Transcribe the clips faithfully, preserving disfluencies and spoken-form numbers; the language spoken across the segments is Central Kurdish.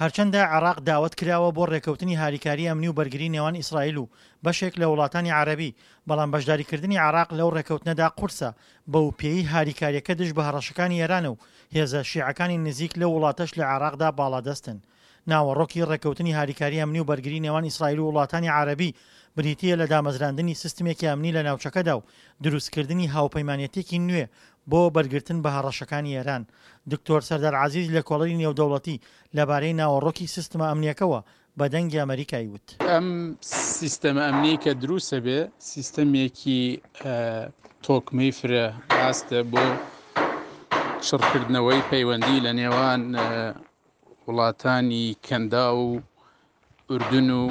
هەرچەندە عێراق داوەت کراوە بۆ ڕێککەوتنی هاریکاری ئەمنی و بەرگری نێوان ئیسرائیل و بەشێک لە وڵاتانی عەرەبی، بەڵام بەشداریکردنی عێراق لەو ڕێککەوتنەدا قورسە، بەوپێیەی هاریکارییەکە دژ بە هەڕەشەکانی ئێرانە و هێزە شیعەکانی نزیک لەو وڵاتەش لە عێراقدا باڵادەستن. ناوەڕۆکی ڕێککەوتنی هاریکاری ئەمنی و بەرگری نێوان ئیسرائیل و وڵاتانی عەرەبی بریتییە لە دامەزراندنی سیستمێکی ئەمنی لە ناوچەکەدا و دروستکردنی هاوپەیمانێتییەکی نوێ بۆ بەرگرتن بە هەڕەشەکانی ئێران. دکتۆر سەردار عەزیز لێکۆڵەری نێودەوڵەتی لەبارەی ناوەڕۆکی سیستمە ئەمنییەکەوە بە دەنگی ئەمەریکای وت. ئەم سیستەمە ئەمنیەی کە دروستە بێ سیستەمێکی تۆکمەی فرە ئاستە بۆ چڕکردنەوەی پەیوەندی لە نێوان وڵاتانی کەندا و ئوردن و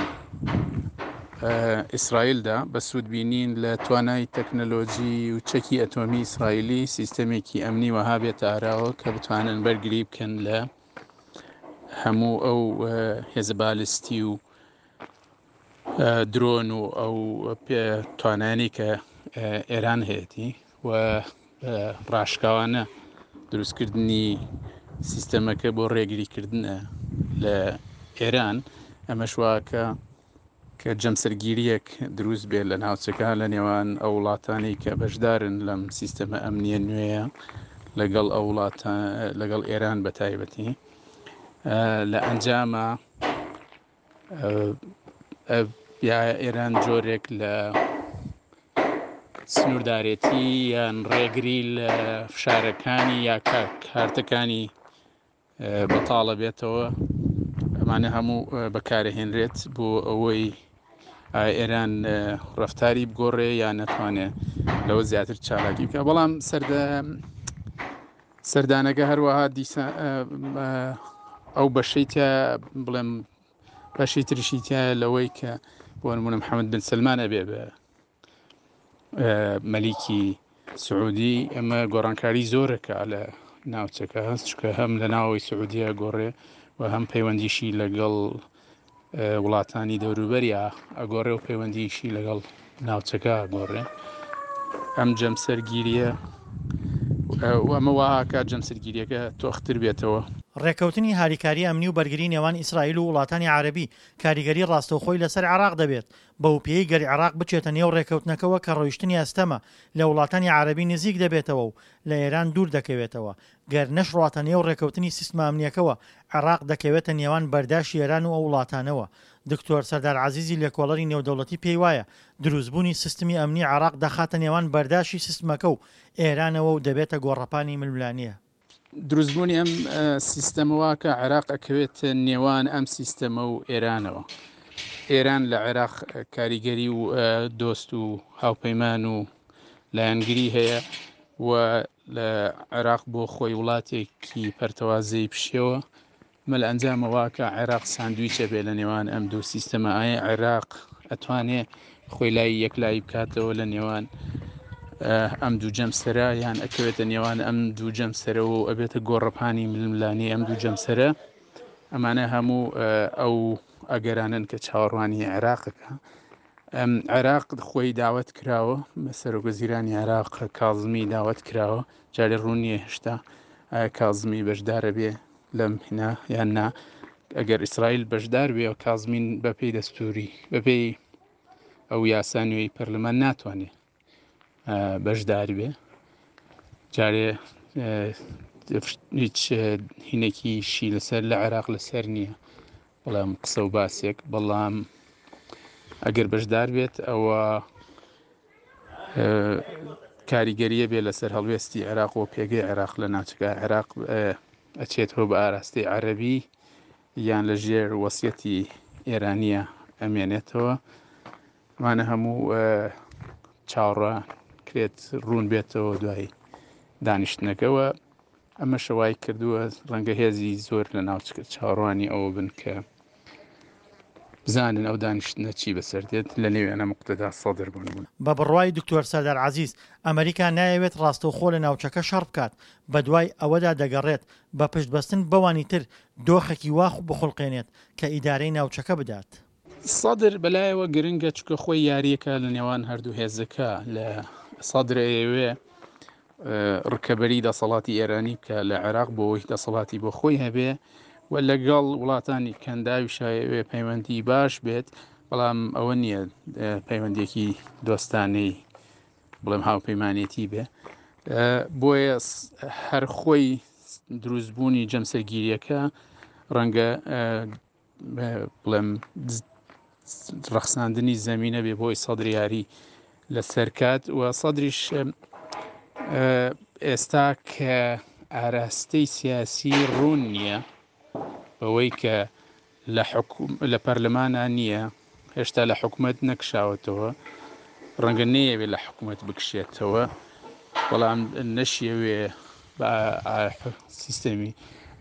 ئیسرائیلدا بە سوودبینین لە توانای تەکنەلۆجی و چەکی ئەتۆمی ئیسرائیلی سیستەمێکی ئەمنی وەها بێتە ئاراوە کە بتوانن بەرگری بکەن لە هەموو ئەو هێزە بالستی و درۆن و ئەو توانایانەی کە ئێران هەیەتی و ڕاشکاوانە دروستکردنی سیستەمەکە بۆ ڕێگریکردنە لە ئێران. ئەمەش واکە کە جەمسەرگیریەک دروست بێت لە ناوچەکە لە نێوان ئەو وڵاتانەی کە بەشدارن لەم سیستەمە ئەمنیە نوێیە لەگەڵ ئەو وڵاتە لەگەڵ ئێران بە تایبەتی. لە ئەنجامە یا ئێران جۆرێک لە سنووردارێتی یان ڕێگری لە فشارەکانی یا کارتەکانی بەتاڵە بێتەوە، ئەمانە هەموو بەکارهێنرێت بۆ ئەوەی ئێران ڕفتاری بگۆڕێ یان نەتوانێت لەوە زیاتر چالاکی بکە. بەڵام سەردانەکە هەروەها دیسا ئەو بەشەی تیا بڵێم بەشی ترشی تایە لەوەی کە بۆ نمونە محەممەد بن سەلمان ئەبێ بە مەلیکی سعودی. ئەمە گۆڕانکاری زۆرەکە لە ناوچەکە هەست، چونکە هەم لە ناوەوەی سعودیە گۆڕێ و هەم پەیوەندیشی لەگەڵ وڵاتانی دەوروبەریا ئەگۆڕێ و پەیوەندیشی لەگەڵ ناوچەکە ئەگۆڕێ. ئەم جەمسەرگیریە و ئەمە واکات جەمسەرگیریەکە تۆختر بێتەوە. ڕێککەوتنی هاریکاری ئەمنی و بەرگری نێوان ئیسرائیل و وڵاتانی عەرەبی کاریگەری ڕاستەوخۆی لەسەر عێراق دەبێت، بەو پێیەی گەر عێراق بچێتە نێو ڕێککەوتنەکەوە کە ڕۆیشتنی ئەستەمە لە وڵاتانی عەرەبی نزیک دەبێتەوە و لە ئێران دوور دەکەوێتەوە. گەر نەشڕاتە نێو ڕێککەوتنی سیستمە ئەمنیەکەوە عێراق دەکەوێتە نێوان بەرداشی ئێران و ئەو وڵاتانەوە. دکتۆر سەردار عەزیزی لێکۆڵەری نێودەوڵەتی پێی وایە دروستبوونی سیستمی ئەمنی عێراق دەخاتە نێوان بەرداشی سیستمەکە و ئێرانەوە و دەبێتە گۆڕەپانی ململانێ. دروستبوونی ئەم سیستەمەوە کە عێراق ئەکەوێت نێوان ئەم سیستەمە و ئێرانەوە. ئێران لە عێراق کاریگەری و دۆست و هاوپەیمان و لایەنگری هەیە و لە عێراق بۆ خۆی وڵاتێکی پەرتەوازەی پشێوە. مە لە ئەنجامەوە کە عێراق ساندویچە بێ لە نێوان ئەم دوو سیستەمە. ئایا عێراق ئەتوانێ خۆی لای یەکلایی بکاتەوە لە نێوان ئەم دوو جەمسەرە، یان ئەکەوێتە نێوان ئەم دوو جەمسەرەوە و ئەبێتە گۆڕەپانی ململانێی ئەم دوو جەمسەرە؟ ئەمانە هەموو ئەو ئەگەرانن کە چاوەڕوانی عێراقەکە. عێراق خۆی داوەت کراوە، سەرۆک وەزیرانی عێراق کازمی داوەت کراوە، جارێ ڕوون نییە هێشتا ئایا کازمی بەشدارە بێ لەم هینا یان نا. ئەگەر ئیسرائیل بەشدار بێ کازمین بەپێی دەستوری بەپێی ئەو یاسا نوێی پەرلەمان ناتوانێت بەشدار بێ. جارێ هیچ هینێکیشی لەسەر لە عێراق لەسەر نییە، بەڵام قسە و باسێک. بەڵام ئەگەر بەشدار بێت ئەوە کاریگەریە بێ لەسەر هەڵوێستی عێراق و پێگەی عێراق لە ناوچەکە. عێراق ئەچێتەوە بە ئاراستەی عەرەبی یان لە ژێر وەسیەتی ئێرانیە ئەمێنێتەوە. ئەمانە هەموو چاوەڕوان کرێت ڕوون بێتەوە دوای دانیشتنەکەوە. ئەمە شەوای کردووە ڕەنگە هێزی زۆر لە ناوچەکە چاوەڕوانی ئەوە بن کە بزانن ئەو دانیشتنە چی بەسەر دێت لە نێویانە مقتەدا سەدر بوون بوون. بە بڕوای دکتۆر سەردار عەزیز، ئەمریکا نایەوێت ڕاستەوخۆ لە ناوچەکە شەڕ بکات، بەدوای ئەوەدا دەگەڕێت بە پشتبەستن بەوانی تر دۆخێکی وا بخوڵقێنێت کە ئیدارەی ناوچەکە بدات. سەدر بەلایەوە گرنگە چونکە خۆی یاریەکە لە نێوان هەردوو هێزەکە. لە سەدر ئەیەوێ ڕکەبەری دەسەڵاتی ئێرانی بکە لە عێراق بۆ ئەوەی دەسەڵاتی بۆ خۆی هەبێ و لەگەڵ وڵاتانی کەنداویشا ئەوێ پەیوەندی باش بێت، بەڵام ئەوە نییە پەیوەندیەکی دۆستانەی بڵێم هاوپەیمانێتی بێ. بۆیە هەر خۆی دروستبوونی جەمسەرگیریەکە ڕەنگە بڵێم ڕەخساندنی زەمینە بێ بۆی سەدر یاری لەسەر کات و سەدریش ئێستا کە ئاراستەی سیاسی ڕوون نییە بەوەی کە لە حکوم لە پەرلەمانە نییە، هێشتا لە حکومەت نەکشاوەتەوە، ڕەنگە نەیەوێ لە حکومەت بکشێتەوە، بەڵام نەشیەوێ بە سیستەمی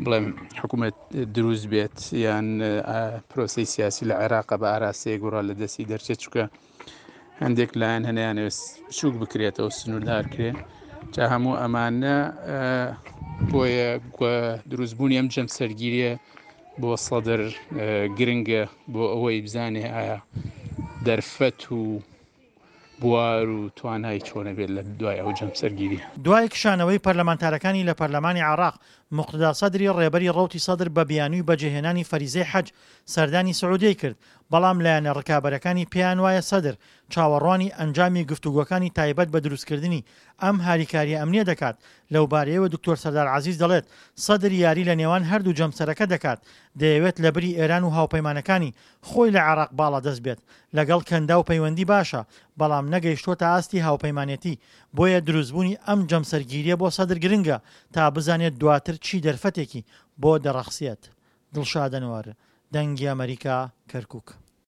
بڵێم حکوومەت دروست بێت یان پرۆسەی سیاسی لە عێراق بە ئاراستەیەک گوڕا لە دەستی دەرچێت، چونکە هەندێک لایەن هەنیانەوێت بچووک بکرێتەوە سنووردار کرێ. جا هەموو ئەمانە بۆیە دروستبوونی ئەم جەمسەرگیریە بۆ سەدر گرنگە بۆ ئەوەی بزانێ ئایا دەرفەت و بوار و توانای چۆنە بێت لە دوای ئەو جەمسەرگیری. دوای کشانەوەی پەرلەمانتارەکانی لە پەرلەمانی عێراق، موقتەدا سەدری ڕێبەری ڕەوتی سەدر بە بیانووی بەجێهێنانی فەریزەی حەج سەردانی سعودیەی کرد، بەڵام لایەنە ڕکابەرەکانی پێیان وایە سەدر چاوەڕوانی ئەنجامی گفتوگۆکانی تایبەت بە دروستکردنی ئەم هاریکارییە ئەمنییە دەکات. لەوبارەیەوە دکتۆر سەردار عەزیز دەڵێت، سەدر یاری لە نێوان هەردوو جەمسەرەکە دەکات، دەیەوێت لەبری ئێران و هاوپەیمانەکانی خۆی لە عێراق باڵادەست بێت، لەگەڵ کەنداو پەیوەندی باشە، بەڵام نەگەیشتووەتە ئاستی هاوپەیمانێتی، بۆیە دروستبوونی ئەم جەمسەرگیرییە بۆ سەدر گرنگە تا بزانێت دواتر چی دەرفەتێکی بۆ دەڕەخسێت. دڵشاد ئەنوەر، دەنگی ئەمەریکا، کەرکوک.